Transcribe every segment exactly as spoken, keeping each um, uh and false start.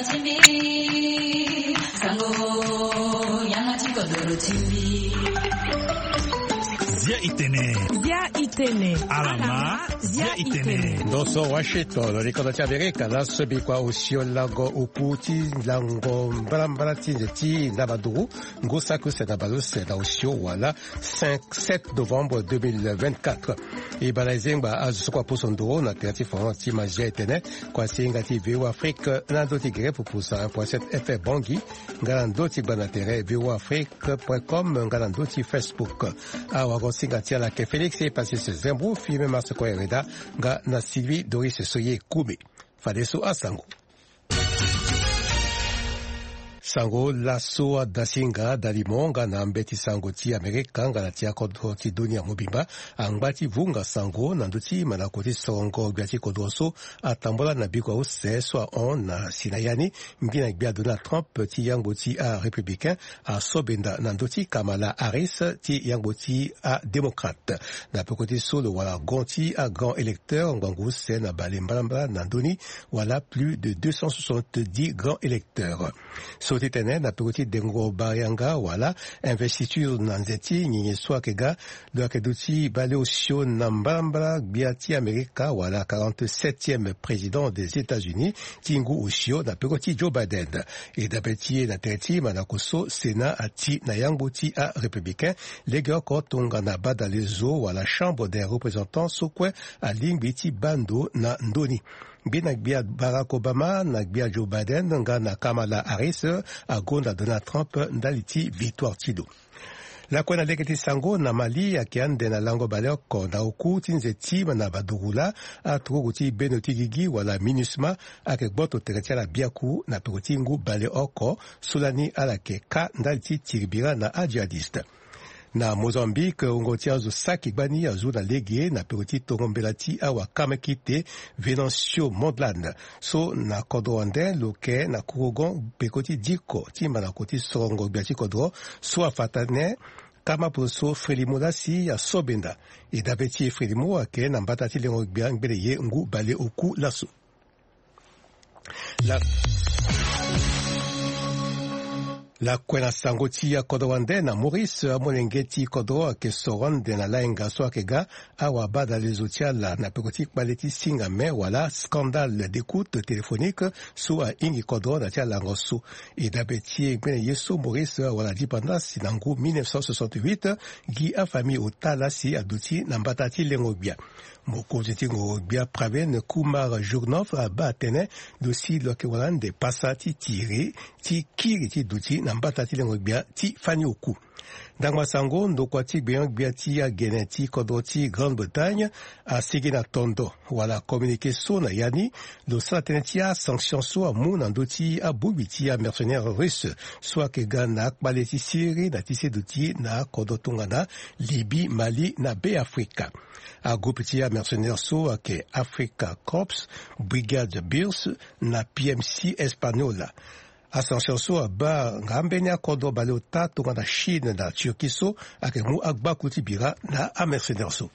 Zia itene. Zia itene. Alama. Zia itene. Ndo so Washington, likodo ti Amerika, laso bikua osio lango oku ti lango mbalambala ti nze ti ndabaduru, ngu saki use na baleuse na osio wala cinq, sept novembre deux mille vingt-quatre. E bana e zengba azo so kua poso nduru na tere ti France ti ma Zia itene, kua si hinga ti V O A Afrique na ndo ti gere pupu cent un point sept F M Bangui, nga na ndo ti gba na tere V O A Afrique point com, nga na ndo ti Facebook. Awagosinga ti ala ayeke Félix Epasis Zembro, filme Marseco Hereda, nga na Sylvie Doris Soye Koumé. Fadeso asango. Sango laso adasinga dalimo nga na mbeti sango ti Amerika nga na ti akodro ti dunia mobimba angba ti vunga sango na ndö ti mandako ti sorongo gbia ti kodro so atambola na bikua use so ahon na si na ya ni. Ngbina gbia Donald Trump ti yangbo ti arépublicain asobenda na ndö ti Kamala Harris ti yangbo ti adémocrate. Na peko ti so lo wara gon ti agrand électeur ngbangbo use na bale mbalambala na ndö ni, wala plus de deux cent soixante-dix grands électeurs. So ti tene na peko ti dengo barianga wala investiture na nze ti nyenye so ayeke ga, lo yeke duti baleosio na mbalambala gbia ti Amerika wala quarante-septième président des États-Unis ti ngu osio na peko ti Joe Biden. E dabe ti e na tere ti mandako so Sénat ati na yangbo ti arépublicain legeoko tongana badalezo wala Chambre des représentants so kue alingbi ti baa ndo na ndö ni. Ngbina gbia Barack Obama na gbia Joe Biden nga na Kamala Harris agonda Donald Trump ndali ti victoire ti lo. Lakue na lege ti sango, na Mali ayeke ande na lango baleoko na oku ti nze ti ma na badurula, aturugu ti bendo ti gigi wala MINUSMA ayeke gboto tere ti ala biaku na peko ti ngu baleoko so lani ala yeke kâ ndali ti tiri bira na ajihadiste. Na Mozambique, wungo ti azo saki gbani azu na lege na peko ti tongo mbela ti awakama kite Venancio Mondlane. So na kodro wande lo yeke na kurugon peko ti diko ti mandako ti sorongo gbia ti kodro so afa tënë kama poroso Frelimo lasi asobenda. E dabe ti e Frelimo ayeke na mbata ti lengo gbia ngbene ye ngu baleoku laso. La, lakue na sango ti akodro wande na Maurice, amolenge ti kodro ayeke soro ande na layenga so ayeke ga awabadalezo ti ala na peko ti kpale ti singa me wala scandale d'écoute téléphonique so ahingi kodro na ti alango so. E dabe ti e ngbene ye so Maurice awara dipanda si na ngu mille neuf cent soixante-huit, gi afamille ota lasi aduti na mbata ti lengo gbia. Mokonzi ti ngoro gbia Pravind Kumar Jugnauth abaa tënë lo si lo yeke wara ande pasa ti tiri ti kiri ti duti na mbata ti lengo gbia ti fani oku. Ndangba sango, ndokua ti gbenyo-gbia ti agene ti kodro ti Grande-Bretagne asigi na tondo wala communiqué so na ya ni lo sara tënë ti asanction so amu na ndö ti abongbi ti amercenaire russe so ayeke ga na akpale ti siriri na ti se duti na akodro tongana Libye, Mali na Be Afrika. Agroupe ti amercenaire so ayeke Africa Corps, Brigade Birs na P M C Española. Asanction so abaa nga ambeni akodro baleota tongana Chine na Turquie so ayeke mu agbaku ti bira na amercenaire so.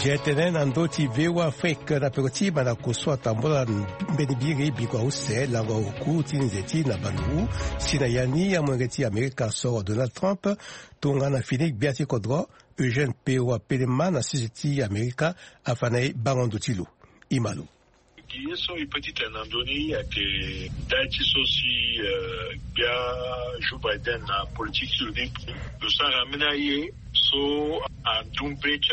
Zia tënë na ndö ti V O A Afrique na peko ti mandako so atambola mbeni biri bikua use lango oku ti nze ti na banduku. Si na ya ni amolenge ti Amerika soro Donald Trump tongana fini gbia ti kodro Eugène Pewa Pelema na sese ti Amerika afa na e bango ndo ti lo. E ma lo. Gi ye so e peut ti tene na ndö ni ayeke ndali ti so si, euh, gbia Joe Biden na politique ti lo ni lo sara ambeni aye so andu mbe ti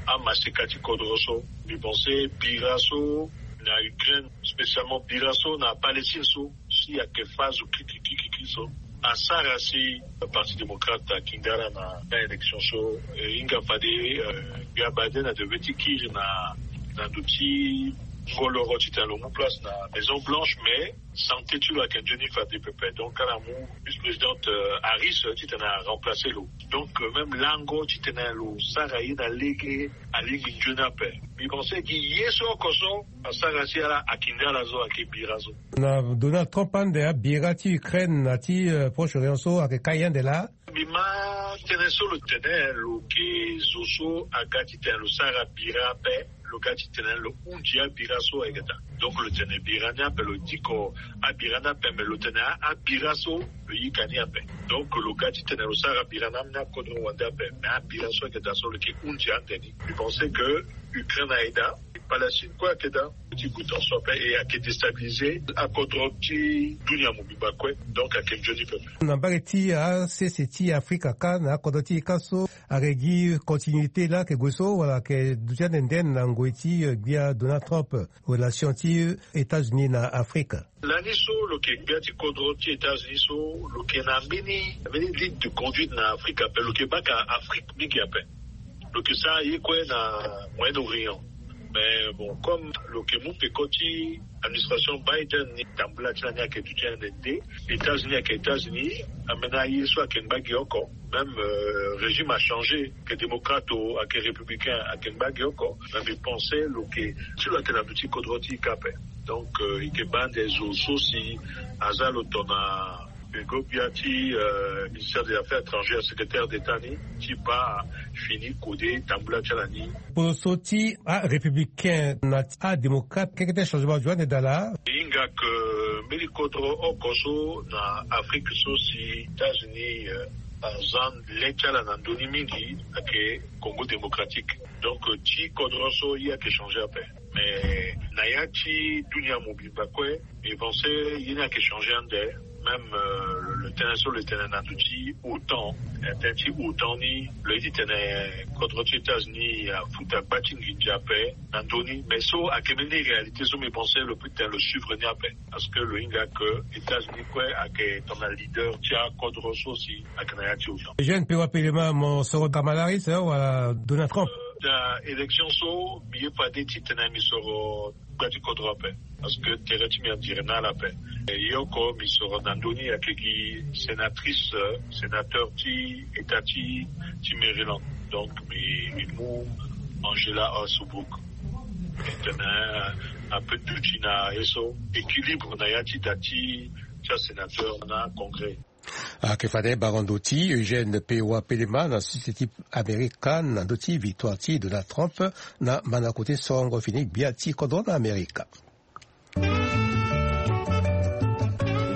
amaseka ti kodro so. Mbi pense bira so na Ukraine, spécialement bira so na Palestine so, si ayeke phase kiki kiki kiki so asara si Parti démocrate akindara na, na élection so. E hinga fade, euh, gbia Biden adewe ti kiri na, na ndo ti ngoloro titene lo mu place na Maison Blanche, mais santé ti lo ayeke nzoni fade pepe. Donc ala mu vice-présidente, euh, Harris titene aremplace lo. Donc, euh, même lango titene lo sara ye na lege alingbi nzoni ape. Mbi pense gi ye so oko so asara si ala akindara so ayeke bira so. Na Donald Trump ande abira ti Ukraine na ti, euh, Proche-Orient so ayeke kai ande laa. Mbi Ma tene so lo tene lo ke zo so aga ti tene lo sara bira ape, lo ga ti tene lo hundi abira so ayeke daa. Donc lo tene bira ni ape, lo diko abira ni ape, me lo tene abira so lo yika ni ape. Donc lo ga ti tene lo sara bira na ambeni akodro wande ape, me abira so ayeke daa so lo ke hundi ande ni. Mi pense que Ukraine aye daa, Palestine kue ayeke daa. Ti gue tonso ape e ayeke déstabiliser akodro ti dunia mobimba kue. Donc ayeke nzoni pepe. Na mbage ti asese ti Afrika kâ na akodro ti e kâ so, ayeke gi continuité laa ayeke gue so wala ayeke duti ande nde na ngoi ti gbia Donald Trump, relation ti États-Unis na Afrika? Lani so lo yeke gbia ti kodro ti États-Unis so, lo yeke na mbeni mbeni ligne de conduite na Afrika ape, lo yeke baka Afrika mingi ape. Lo yeke sara ye kue na Moyen-Orient. Mais bon, comme lo yeke mu peko ti administration Biden ni, tambula ti lani ayeke duti ande nde. États-Unis ayeke États-Unis, ambeni aye so ayeke ngba gi oko. Même régime achangé, ayeke démocrate o ayeke républicain, ayeke ngba gi oko. Mais mi pense lo yeke ti lo ayeke na ndö ti kodro ti e kâ ape. Donc e yeke baa ande zo so si aza lo tongana peko gbia ti ministère des affaires étrangères, secrétaire d'état ni, ti baa fini kode tambula ti ala ni. Poso ti arépublicain na adémocrate keke ti changement azo ande daa laa. E hinga ke mbeni kodro oko so na Afrike so si États-Unis aza le ti ala na ndö ni mingi ayeke Congo démocratique. Donc ti kodro so ye ayeke changé ape. Mais na ya ti dunia mobimba kue, mi pense ye ni ayeke changé ande. Même le tënë so lo tene na ndö ti OTAN, tënë ti OTAN ni, lo ye ti tene kodro ti États-Unis afuta gba ti nginza ape na ndö ni. Mais so ayeke mbeni réalité so mi pense lo peut tene lo suivre ni ape. Parce que lo hinga ke États-Unis kue ayeke tongana leader ti akodro so si ayeke na ya ti OTAN. Eugène Pewa Pelema, mo soro Kamala Harris wala Donald Trump? Na élection so, mi ye fade ti tene mi soro gbia ti kodro ape. Parce que tere ti mi andire na ala ape. Ye oko mi soro na ndö ni ayeke gi sénatrice, sénateur ti état ti ti Maryland. Donc mi mi mu Angela Ossobrooke. E tene ape duti na ye so équilibre na ya ti da ti ti asénateur na Congrès. Ayeke fade bango ndo ti Eugène Pewa Pelema na sese ti Amerika na ndö ti victoire ti Donald Trump na mandako ti sorongo fini gbia ti kodro na Amerika. E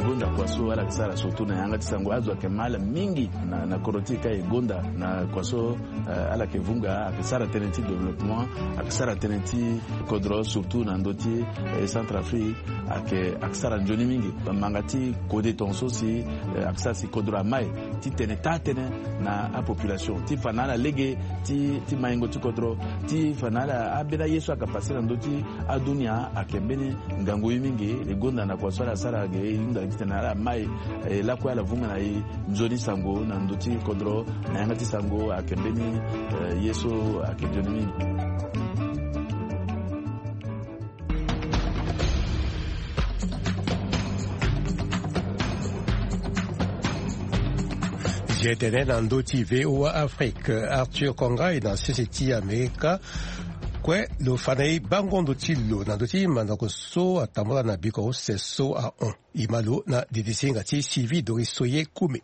gonda kua so ala yeke sara surtout na yanga ti sango, azo ayeke ma ala mingi na na kodro ti e kâ. E gonda na kua so ala yeke vunga, ayeke sara tënë ti développement, ayeke sara tënë ti kodro surtout na ndö ti Centrafrique. Ayeke ayeke sara nzoni mingi. Manga ti kode tongaso si ayeke sara si kodro amai ti tene taa tënë na apopulation ti fa na ala lege ti ti maingo ti kodro, ti fa na ala ambeni aye so ayeke pase na ndö ti adunia ayeke mbeni ngangu ye mingi. E gonda na kua so ala sara ge e hunda ti tene ala mai e lakue ala vunga na e nzoni sango na ndö ti kodro. Na yanga ti sango ayeke mbeni ye so ayeke nzoni mingi. Zia tene na ndö ti VOA Afrique, Arthur Kongai na sese ti Amerika. Kue lo fa na e bango ndo ti lo na ndö ti mandako so atambula na biko use so ahon. E ma lo na didisinga ti Sylvie Doris Soye Kume.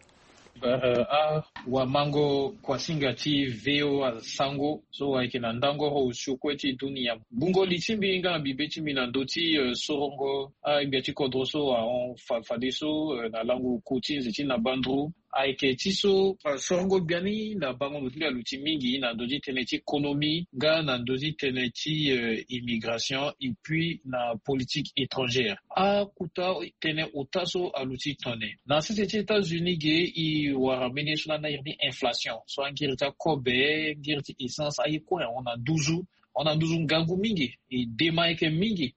Awamango kuasinga ti VOA Sango so ayeke na ndango oro osio kue ti dunia. Bungo li ti mbi nga na bibe ti mbi na ndö ti sorongo agbia ti kodro so ahon fadeso na lango ku ti nze ti na banduru. Ayeke ti so sorongo biani na bango ndo ti mbi aluti mingi na ndö ti tënë ti économie nga na ndö ti tënë ti immigration et puis na politique étrangère. Akuta tënë ota so aluti tene na sese ti États-Unis ge e wara mbeni ye so lani na iri ni inflation so angiri ti akobe, ngiri ti essence aye kue ahon na nduzu. Ahon na nduzu ngangu mingi. E dema ayeke mingi.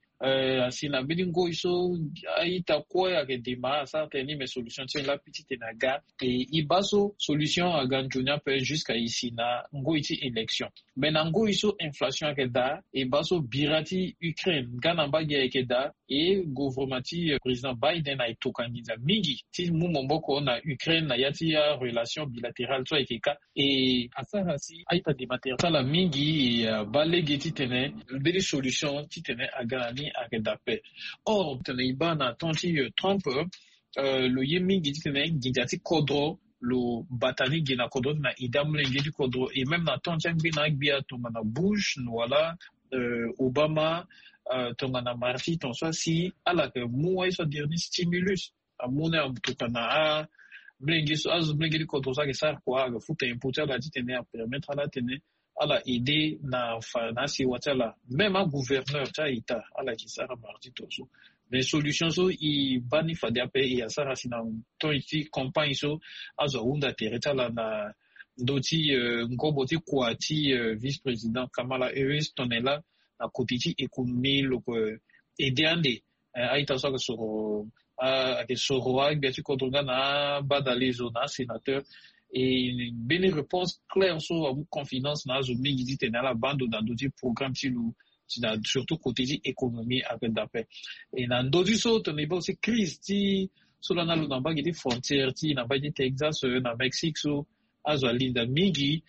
Asi na mbeni ngoi so a-ita kue ayeke dema asara tënë ni me solution ti e lapi titene aga. E e baa so solution aga nzoni ape jusqu'à e si na ngoi ti élection. Me na ngoi so inflation ayeke daa, e baa so bira ti Ukraine nga na mbage ayeke daa. E gouvernement ti président Biden ayeke toka nginza mingi ti mu maboko na Ukraine na ya ti arelation bilatérale so ayeke kâ. E asara si a-ita dema tere ti ala mingi e abaa lege titene mbeni solution titene aga na ni ayeke daa ape. Or titene e baa na temps ti Trump, lo ye mingi titene nginza ti kodro lo bata ni gi na kodro ti na ida molenge ti kodro. Et même na temps ti angbi na agbia tongana Bush wala Obama, tongana Marti ton so asi ala yeke mu wai so aderni stimulus amu na tokana a molenge so azo molenge ti kodro so ayeke sara kua ayeke futa impo ti ala titene apermettre ala tene ala aide na fa na asiwa ti ala. Même agouverneur ti a-ita ala yeke sara mardi ton so. Mais solution so e baa ni fade ape e asara si na temps ti campagne so azo ahunda tere ti ala na ndö ti ngobo ti kua ti vice-président Kamala Harris tongana e laa na kote ti économie lo yeke aide ande. A-ita so ayeke soro ayeke soro agbia ti kodro nga na abadale zo na asénateur. E mbeni réponse claire so amu confidence na azo mingi titene ala baa ndo na ndö ti programme ti lo ti na surtout kote ti économie ayeke daa ape. E na ndö ti so tongana e baa aussi crise ti so lani alo na mbage ti frontière ti na mbage ti Texas na Mexique so azo alinda mingi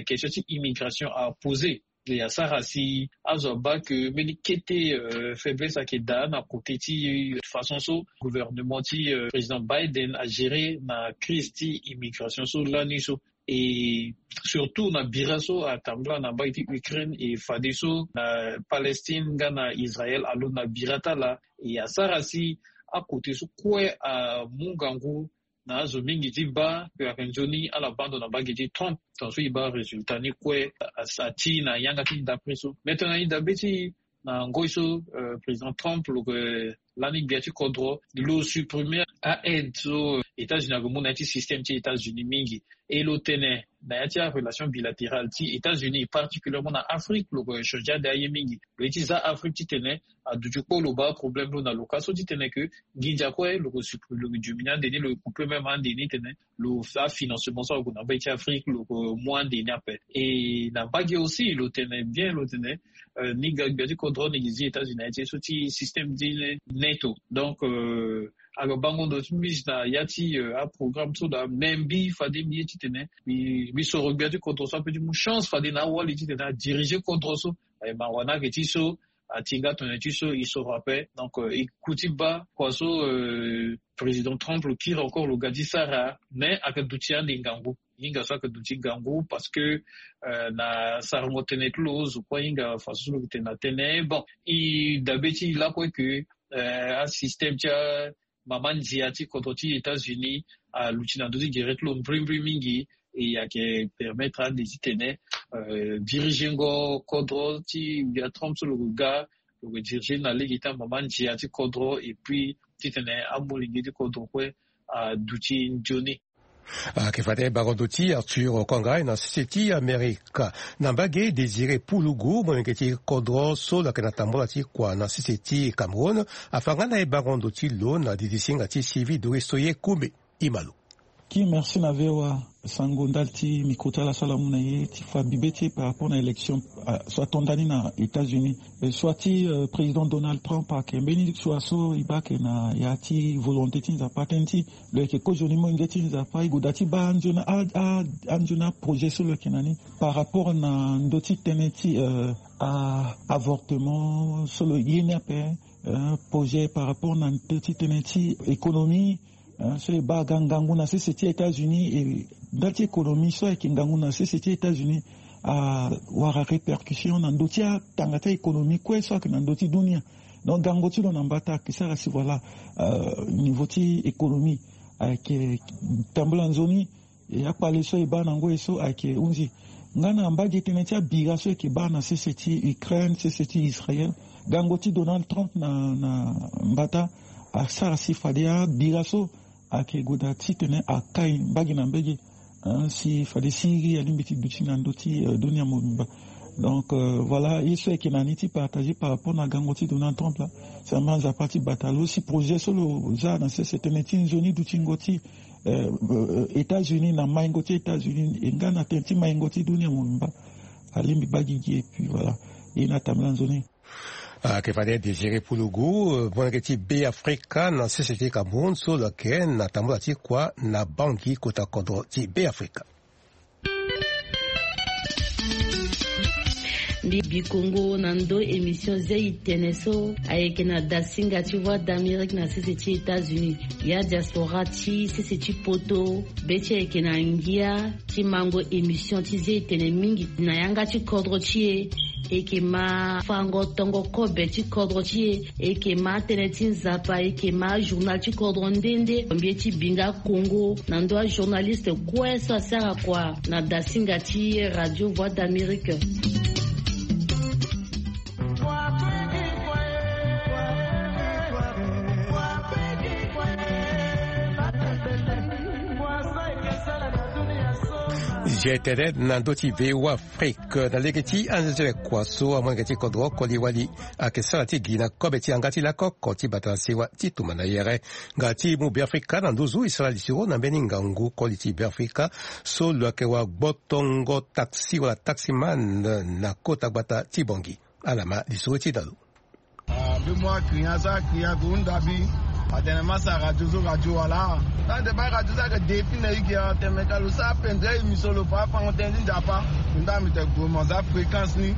question ti immigration apose. E asara si azo abaa ke mbeni kete faiblesse ayeke daa na kote ti façon so gouvernement ti président Biden agéré na crise ti immigration so lani so. E surtout na bira so atambula na mbage ti Ukraine e fadeso na Palestine nga na Israël alo na bira ti ala e asara si akote so kue amu ngangu na azo mingi ti baa ke ayeke nzoni ala baa ndo na mbage ti Trump. Tongaso e baa résultat ni kue ati na yanga ti ndapre so. Mais tongana e dabe ti na ngoi so président Trump lo yeke lani gbia ti kodro lo supprimer a-aide so États-Unis ayeke mu na ya ti système ti États-Unis mingi. E lo tene na ya ti arelation bilatérale ti États-Unis particulièrement na Afrique lo yeke changer ade aye mingi. Lo ye ti za Afrique titene aduti kpo lo baa problème lo na lo ka so titene ke nginza kue lo yeke supprimer lo yeke diminuer ande ni lo yeke couper même ande ni tene lo afinancement so ague na mbage ti Afrique lo yeke mu ande ni ape. E na mbage aussi lo tene bien lo tene ni ga gbia ti kodro ni gi zi États-Unis na ya ti ye so ti système ti NATO. Donc ayeke bango ndo ti mbi si na ya ti aprogramme so daa me mbi fade mbi ye titene mbi soro gbia ti kodro so ape ti mu chance fade na awali titene adirige kodro so. Aye mawa ni ayeke ti so ati nga tongana ti so e soro ape. Donc e ku ti baa kua so président Trump lo kiri encore lo ga ti sara mais ayeke duti ande ngangu. Hinga so ayeke duti ngangu parce que na sarango tënë ti lo zo kue hinga façon so lo yeke tene na tënë bon e dabe ti e lakue ke asystème ti amama ndia ti kodro ti États-Unis aluti na ndö ti gere ti lo mbrimbri mingi. E ayeke permettre ande titene dirigengo kodro ti gbia Trump so lo yeke ga lo yeke dirige na lege ti amama ndia ti kodro et puis titene amolenge ti kodro kue aduti nzoni. Ayeke fade bango ndo ti Arthur Kangay na sese ti Amerika. Na mbage Désiré Pulugu molenge ti kodro so lo yeke na tambula ti kua na sese ti Cameroun afa nga na e bango ndo ti lo na didisinga ti Sylvie Doris Soye Kumbe. Imalo. Ki merci na V O A sango ndali ti micro ti ala so ala mu na e ti fa bibe ti e par rapport na élection so atonda ni na États-Unis. Soit ti président Donald Trump ayeke mbeni soit so e baa ayeke na ya ti volonté ti Nzapa tënë ti lo yeke kozoni molenge ti Nzapa e gue daa ti baa anzoni anzoni aprojet so lo yeke na ni par rapport na ndö ti tënë ti avortement so lo ye ni ape. Projet par rapport na ndö ti tënë ti économie so e baa aga ngangu na sese ti États-Unis. E ndali ti économie so ayeke ngangu na sese ti États-Unis awara répercussion na ndö ti atanga ti économie kue so ayeke na ndö ti dunia. Donc gango ti lo na mbata ayeke sara si voilà niveau ti économie ayeke tambula nzoni. E akpale so e baa na ngoi so ayeke hunzi nga na mbage tënë ti abira so e yeke baa na sese ti Ukraine sese ti Israël. Gango ti Donald Trump na na mbata asara si fade abira so ayeke gue daa titene akai mbage na mbage si fade Syrie alingbi ti duti na ndö ti dunia mobimba. Donc voilà ye so ayeke na ni ti partager par rapport na gango ti Donald Trump laa. Sama Nzapa ti bata lo si projet so lo za na sese tënë ti nzoni dutingo ti États-Unis na maingo ti États-Unis e nga na tënë ti maingo ti dunia mobimba. Alingbi baa gigi et puis voilà. E na tambula nzoni. Ayeke fade Désiré Pulugu molenge ti Beafrika na sese ti Cameroun so lo yeke na tambula ti kua na Bangui kota kodro ti Beafrika. Mbi bi kongo na ndo émission ze itene so ayeke na dasinga ti Voix d'Amérique na sese ti États-Unis. Ya diaspora ti sese ti poto, be ti ayeke na ngia ti mango émission ti ze itene mingi na yanga ti kodro ti e. Eke ma fango tongo kobe ti kodro ti e. Eke ma tënë ti nzapa, eke ma journal ti kodro nde nde. Mbi ye ti binga kongo na ndo ajournaliste kue so asara kua na dasinga ti Radio Voix d'Amérique. G T N na ndo ti V O A Afrique na lege ti anzezele kua so amolenge ti kodro koli wali ayeke sara ti gi na kobe ti yanga ti lakoko ti bata na sewa ti tumba na yere. Nga ti mu Beafrika na nduzu e sara lisiro na mbeni ngangu koli ti Beafrika so lo yeke wa gbotongo taxi wala taximan na kota gbata ti Bongi. Ala ma lisoro ti dalo. Ah, mbi mu akria so akria ko hunda mbi. Atene masa radio so radio wala. Tande ba radio so ayeke de ti na igi atene ka lo sara pendere émission lo fa afango tënë ti nzapa. Hunda mbi tene gue mo za fréquence ni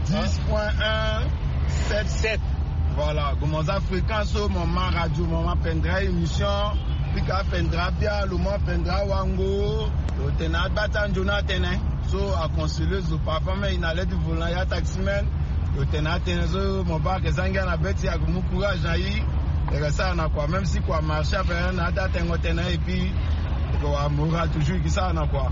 dix point un sept sept. Voilà, gue mo za fréquence so mo ma radio mo ma pendere émission. Pika pendere abia lo ma pendere awango. Lo tene agba ti anzoni atene. So aconseiller zo parfois même e na le ti volant ya taximan. Lo tene atene so mo baa ayeke za ngia na be ti e, ayeke mu courage na e. E yeke sara na kua même si kua marché ape na ata tengo tënë et puis e yeke wara moral toujours e yeke sara na kua.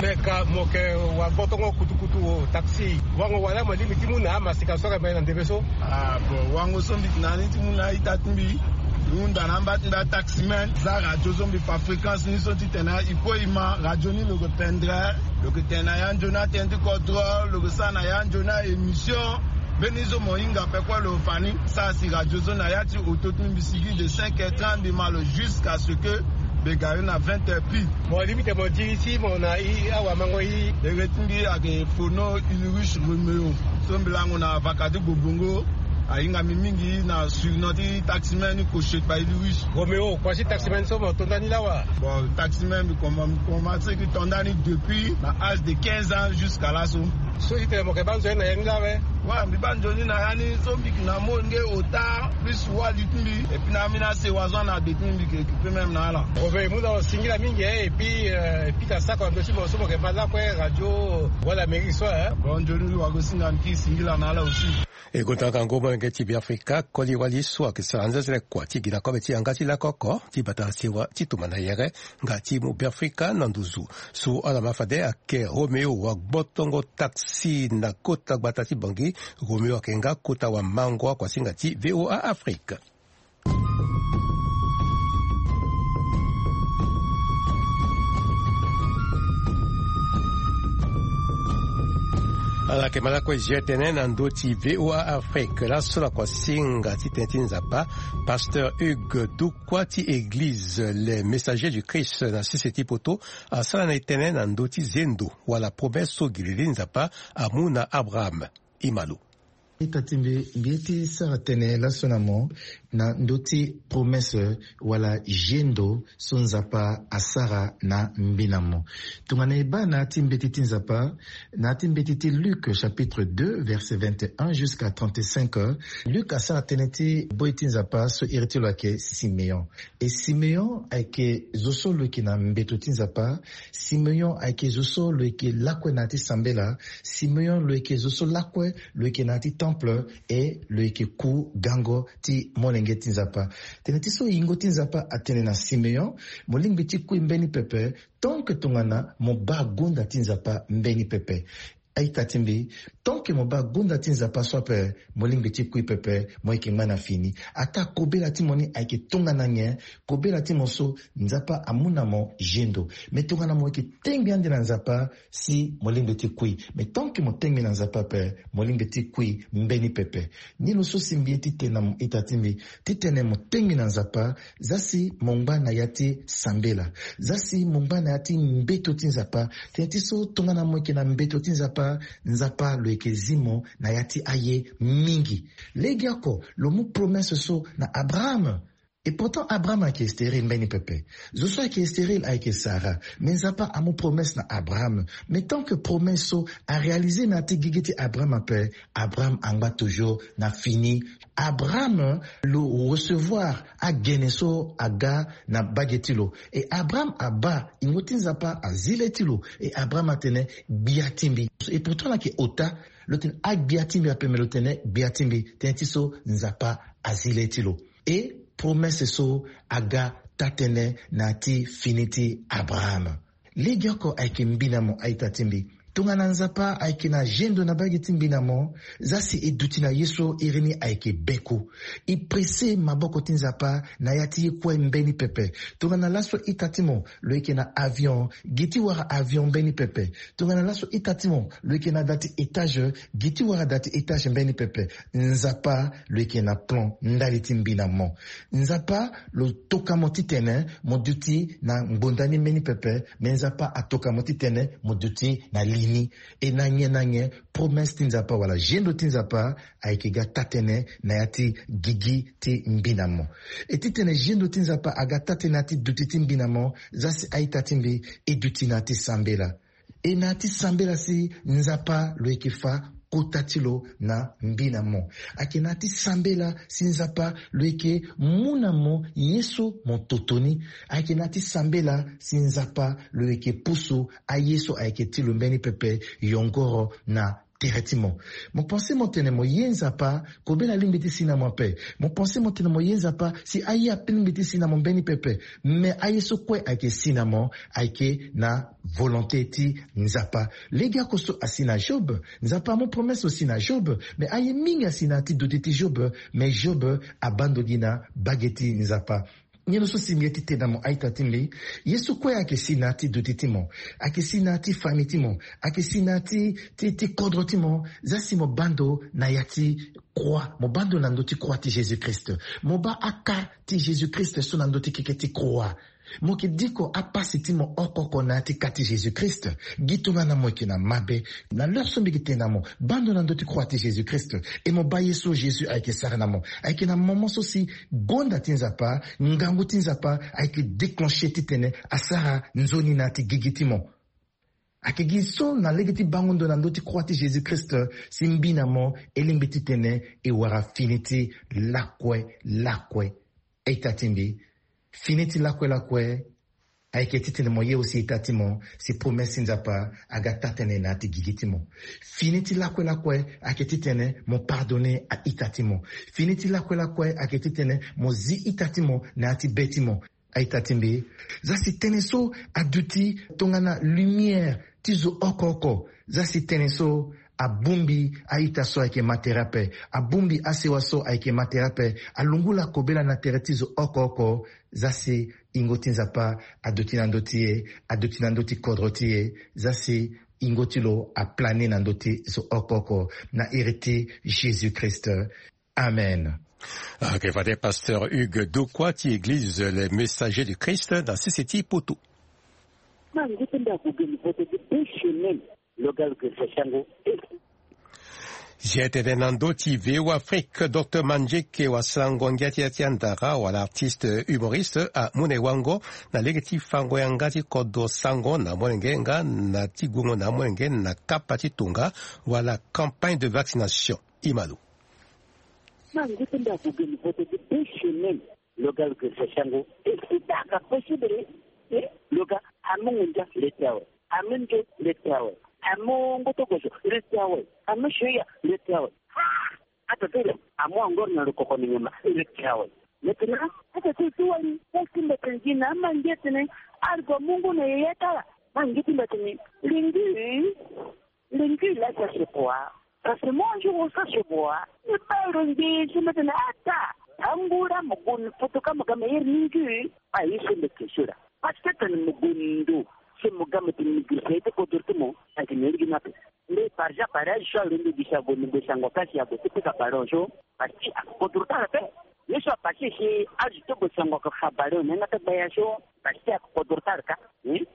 Me ka mo yeke wa gbotongo kutukutu taxi wango wala mo lingbi ti mu na amasika so ayeke ma e na ndembe so? Ah bon, wango so mbi yeke na ni ti mu na a-ita ti mbi. Mbi hunda na amba ti mbi ataximan za radio so mbi fa fréquence ni so titene e kue e ma radio ni lo yeke pendere. Lo yeke tene na ya nzoni atënë ti kodro, lo yeke sara na ya nzoni a-émission. Mbeni so mo hinga ape kue lo fa ni. Sara si radio so na ya ti oto ti mbi, mbi sigi de cinq heures trente mbi ma lo jusqu'à ce que mbi gari na vingt heures pile. Mo limite mo diri ti mo na i awamango i. Ere ti mbi ayeke Fono Ulrich Romeo so mbi lango na vaka ti Gbobongo. Ahinga mbi mingi na surnom ti taximan ni Koshekpa Ulrich. Romeo, kua ti taximan so mo to ndani lawa? Bon, taximan mbi koma- mbi komanse ki to ndani depuis na âge de quinze ans jusqu'à laso. So ti tene mo yeke baa nzoni na ya ni lawe? Wa mbi baa nzoni na ya ni so mbi yeke na molenge ota plus wali ti mbi. Et puis na ambeni asewa so ana de ti mbi mbi yeke occuper même na ala. Romeo, e mu na lo singila mingi, eh, et puis, euh, e pika sako na ndö ti mo so mo yeke ma lakue radio Voix d'Amérique so, eh. Bon, nzoni lo wago singa mbi ki singila na ala aussi. E gonda ngangu molenge ti Beafrika koli wali so ayeke sara anzezele kua ti gi na kobe ti yanga ti lakoko ti bata na sewa ti tumba na yere nga ti mu Beafrika na nduzu. So ala ma fade ayeke Romeo wa gbotongo taxi na kota gbata ti Bongi. Romeo ayeke nga kota wamango akuasinga ti V O A Afrique. Ala yeke ma lakue G T N na ndö ti V O A Afrique. Laso na kuasinga ti tënë ti Nzapa, pasteur Hugues Dukwa ti église Les Messagers du Christ na sese ti poto asara na e tënë na ndö ti zendo wala promesse so gi lili Nzapa amu na Abraham. E ma lo. Ita ti mbi, mbi ye ti sara tënë laso na mo na ndö ti promesse wala zendo so Nzapa asara na mbi na mo. Tongana e baa na ya ti mbeti ti Nzapa, na ya ti mbeti ti Luc chapitre deux verset vingt et un jusqu'à trente-cinq, Luc asara tënë ti boi ti Nzapa so iri ti lo ayeke Simeon. E Simeon ayeke zo so lo yeke na mbeto ti Nzapa. Simeon ayeke zo so lo yeke lakue na ya ti sambela. Simeon lo yeke zo so lakue lo yeke na ya ti temple, e lo yeke ku gango ti molenge ti Nzapa. Tënë ti so yingo ti Nzapa atene na Simeon, mo lingbi ti kui mbeni pepe, tant que tongana mo baa gunda ti Nzapa mbeni pepe. A-ita ti mbi, tant que mo baa gunda ti Nzapa so ape, mo lingbi ti kui pepe, mo yeke ngba na fini. Ataa kobela ti mo ni ayeke tongana nyen? Kobela ti mo so Nzapa amu na mo zendo. Me tongana mo yeke tengbi ande na Nzapa, si mo lingbi ti kui. Me tant que mo tengbi na Nzapa ape, mo lingbi ti kui mbeni pepe. Ni lo so si mbi ye ti tene na mo ita ti mbi, titene mo tengbi na Nzapa, za si mo ngba na ya ti sambela, za si mo ngba na ya ti mbeto ti Nzapa. Tënë ti so tongana mo yeke na mbeto ti Nzapa, Nzapa lo yeke zi mo na ya ti aye mingi. Legeoko lo mu promesse so na Abraham. Et pourtant Abraham ayeke stérile mbeni pepe. Zo so ayeke stérile ayeke Sarah. Mais Nzapa amu promesse na Abraham. Mais tant que promesse so aréalisé na ya ti gigi ti Abraham ape, Abraham angba toujours na fini. Abraham lo recevoir agene so aga na bage ti lo. Et Abraham abaa ingo ti Nzapa azi le ti lo. Et Abraham atene gbia ti mbi. Et pourtant lo yeke ota. Lo tene agbia ti mbi ape, mais lo tene gbia ti mbi. Tënë ti so Nzapa azi le ti lo. Et promesse so aga taa-tënë na ya ti fini ti Abraham. Legeoko ayeke mbi na mo, a-ita ti mbi. Tongana Nzapa ayeke na gendo na bage ti mbi na mo, za si e duti na ye so iri ni ayeke beku. E presse maboko ti Nzapa na ya ti ye kue mbeni pepe. Tongana laso ita ti mo lo yeke na avion, gi ti wara avion mbeni pepe. Tongana laso ita ti mo lo yeke na da ti étage, gi ti wara da ti étage mbeni pepe. Nzapa lo yeke na plan ndali ti mbi na mo. Nzapa lo toka mo titene mo duti na ngbonda ni mbeni pepe. Me Nzapa atoka mo titene mo duti na li ni. E na nyen na nyen, promesse ti Nzapa wala gendo ti Nzapa ayeke ga taa-tënë na ya ti gigi ti mbi na mo. E titene gendo ti Nzapa aga taa-tënë na ya ti duti ti mbi na mo, za si a-ita ti mbi e duti na ya ti sambela. E na ya ti sambela si Nzapa lo yeke fa kota ti lo na mbi na mo. Ayeke na ya ti sambela si Nzapa lo yeke mu na mo ye so mo toto ni. Ayeke na ya ti sambela si Nzapa lo yeke pusu aye so ayeke ti lo mbeni pepe yongoro na tere ti mo. Mo pense mo tene mo ye Nzapa, kobela alingbi ti si na mo ape. Mo pense mo tene mo ye Nzapa si aye ape lingbi ti si na mo mbeni pepe. Me aye so kue ayeke si na mo ayeke na volonté ti Nzapa. Legeoko so asi na Job. Nzapa amu promesse lo si na Job. Me aye mingi asi na ya ti duti ti Job. Me Job abaa ndo gi na bage ti Nzapa. Nyen lo so si mbi ye ti tene na mo, a-ita ti mbi? Ye so kue ayeke si na ya ti duti ti mo, ayeke si na ya ti famille ti mo, ayeke si na ya ti, ti, ti kodro ti mo, za si mo baa ndo na ya ti croix, mo baa ndo na ndö ti croix ti Jésus-Christ. Mo baa aka ti Jésus-Christ so na ndö ti keke ti croix. Mo yeke diko apasi ti mo oko oko na ya ti ka ti Jésus-Christ. Gi tongana mo yeke na mabe, na l'heure so mbi yeke tene na mo, baa ndo na ndö ti croix ti Jésus-Christ. E mo baa ye so Jésus ayeke sara na mo. Ayeke na moment so si gonda ti Nzapa, ngangu ti Nzapa ayeke déclenché titene asara nzoni na ya ti gigi ti mo. Ayeke gi so na lege ti bango ndo na ndö ti croix ti Jésus-Christ si mbi na mo e lingbi titene e wara fini ti lakue lakue. A-ita ti mbi, fini ti lakue lakue ayeke titene mo ye aussi ita ti mo si promesse ti Nzapa aga taa-tënë na ya ti gigi ti mo. Fini ti lakue lakue ayeke titene mo pardonné a-ita ti mo. Fini ti lakue lakue ayeke titene mo zi ita ti mo na ya ti be ti mo. A-ita ti mbi, za si tënë so aduti tongana lumière ti zo oko oko. Za si tënë so abongbi a-ita so ayeke ma tere ape, abongbi asewa so ayeke ma tere ape, alungula kobela na tere ti zo oko oko. Za si ingo ti Nzapa aduti na ndö ti e, aduti na ndö ti kodro ti e. Za si ingo ti lo aplane na ndö ti zo oko oko, na iri ti Jésus-Christ. Amen. Ok, fade pasteur Hugues Dokwa ti église Les Messagers du Christ na sese ti Poto. Ma ngu ti ndako geni poto ti be chemin. Lo ga lo ke sa sango. Zia tene na ndö ti V O Afrique, docteur Mandieke wasango ngia ti ya ti andara wala artiste humoriste amu na e wango na lege ti fango yanga ti kodro sango na molenge nga na ti gungo na molenge na kapa ti tonga wala campagne de vaccination. Imalo. Ma ngu ti ndako geni poto ti be chemin. Lo ga lo ke sa sango. E si ta ka possible. E lo ga amu ngunza le ti awe. Amu nzo le ti awe. Amu ngoto gozo le ti awe. Amu soya le ti awe. Ah! Ata ti lo amu angor na lo koko ni nyama le ti awe. Maintenant ata ti ti wali ti ti mbetene gi na ama nge tene. Argo mungu na yeye tala. Ma nge ti mbetene lingi. Lingi la sa se kua. Parce que moi un jour sa se boa. Ni bai lo nge si mbetene ata. Angura mo gun foto ka mo ga mo yeri lingi. Ayi so mbe ke sura. Parce que tene mo gun ndo. Si mo ga mo ti migri sa ite kodro ti mo. Ati mo yeri gi na pe. Nde par exemple, pareil, so alondo gi sa gue ni gue sango ka si ague ti pika ballon so, parce que akodro tara pe. Ye so apase si azo ti gue sango ka fa ballon ni anga ti gbaya so, parce que akodro tara ka.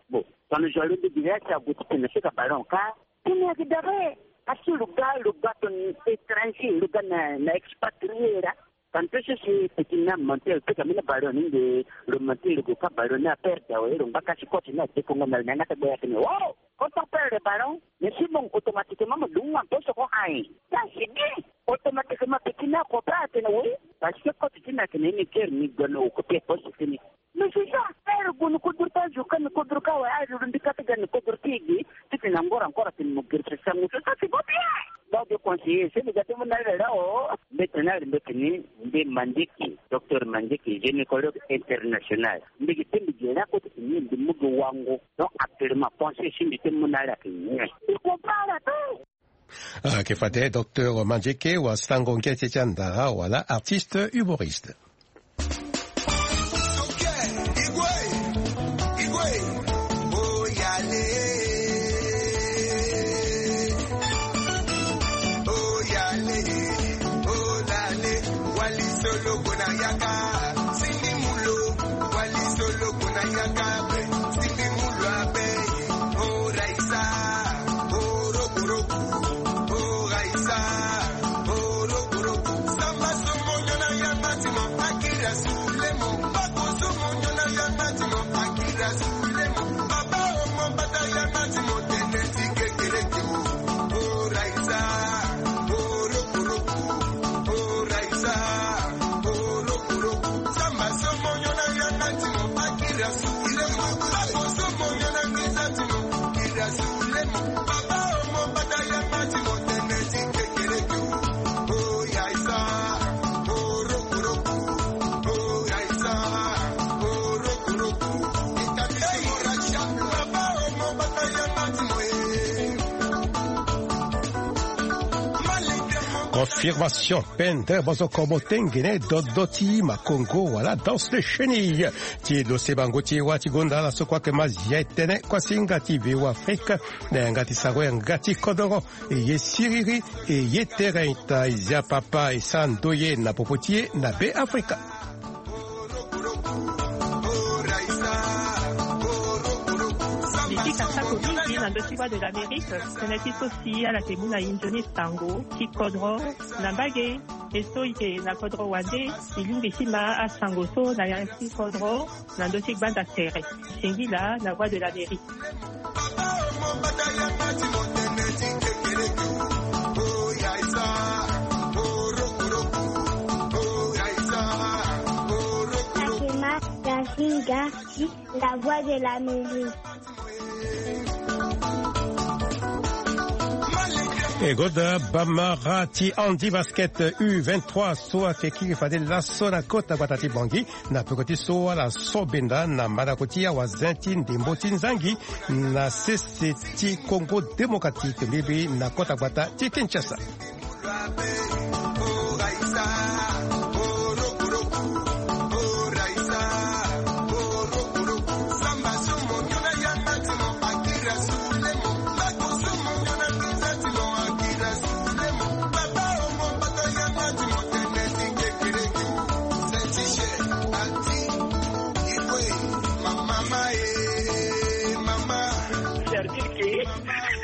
Bon, tongana zo alondo gi sa si ague ti tene pika ballon ka. Tene ayeke dabe. Parce que lo ga, lo ga tongana étranger, lo ga na, na expatrié ra. Tantôt si si petit na menteur pe ka mena ballon ni nde lo menteur lo ka ballon na perdre awe lo ngba kasi coach na dekongo na na ngata boya tene wow. Quand on perd le ballon, mais si bon automatiquement mo dunga poso ko ai. Ça c'est bien. Automatiquement petit na ko pa tene oui. Parce que coach ti na tene ni ker ni gono ko pe poso tene. Mais c'est ça, père Gounou Koudou, pas du Kami Koudou Kawa, je ne dis pas que Gounou Koudou Tigi, tu te n'as encore encore à te moquer, c'est ça, c'est ça, c'est pas bien. Donc, je conseille, c'est le gâteau, mon arrière là, oh, maintenant, le mec, ni, nde Mandiki, docteur Mandiki, gynécologue international. Nde ki tembe gera ko te ni nde mugo wango. Donc, actuellement, pensez si nde te mon arrière que ni. Il comprend la paix. Ah, ke fade docteur Mandjeke wa sango nge ti ti andara wala artiste humoriste. Confirmation. Pendre bozoko motengene dodo ti makongo wala danse de chenille. Ti lo se bango ti wa ti gonda ala so kua ke ma zia etene kua si ngati veo afrika na yanga ti sango yanga ti kodoro. E ye siriri e ye tere ita e zia papa e sa ndoye na popo ti e na be afrika. Mbi ti kasa ko mingi na ndö ti Voix de l'Amérique. Tënë ti so si ala ke mu na inzo ni sango ti kodro na mbage. E so e ke na kodro wande e lingbi ti ma asango so na ya ti kodro na ndö ti gbanda tere. Singila na Voix de l'Amérique. Fatima Yasinga ti la Voix de l'Amérique. E goda bamara ti handi basket U vingt-trois so ayeke kiri fade laso na kota gbata ti Bangui na peko ti so ala so benda na mandako ti awazen ti ndembo ti nzangi na sese ti Congo Démocratique mbibi na kota gbata ti Kinshasa.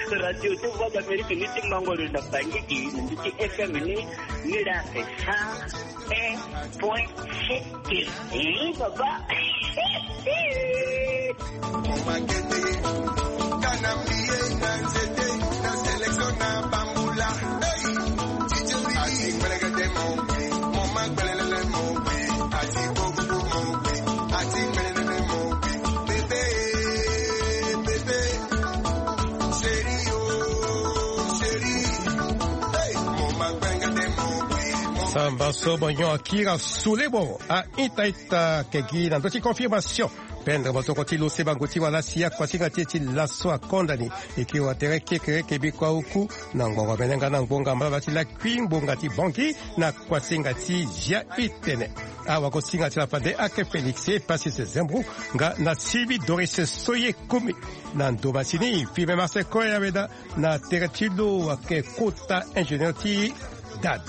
Radio ti Voix d'Amérique ni ti mango lo na Bangui, ni ti F M ni, ni la esa un point sept. Eh, baba. Samba so bonyo akira sulebo a ita ita kegi na ndö ti confirmation. Pendre motoko ti lo se bango ti wala si akuasinga ti e ti laso akonda ni. E ke wa tere kekereke bikua uku na ngbongo mene nga na ngbonga mbala ti lakui ngbonga ti Bangui na kuasinga ti zia itene. Awakosinga ti la fade ake Félix e Pasis Zembrou nga na Sylvie Doris Soye Kumi. Na ndo masini filme Marseille Koya Weda na tere ti lo ake kota ingénieur ti Dad.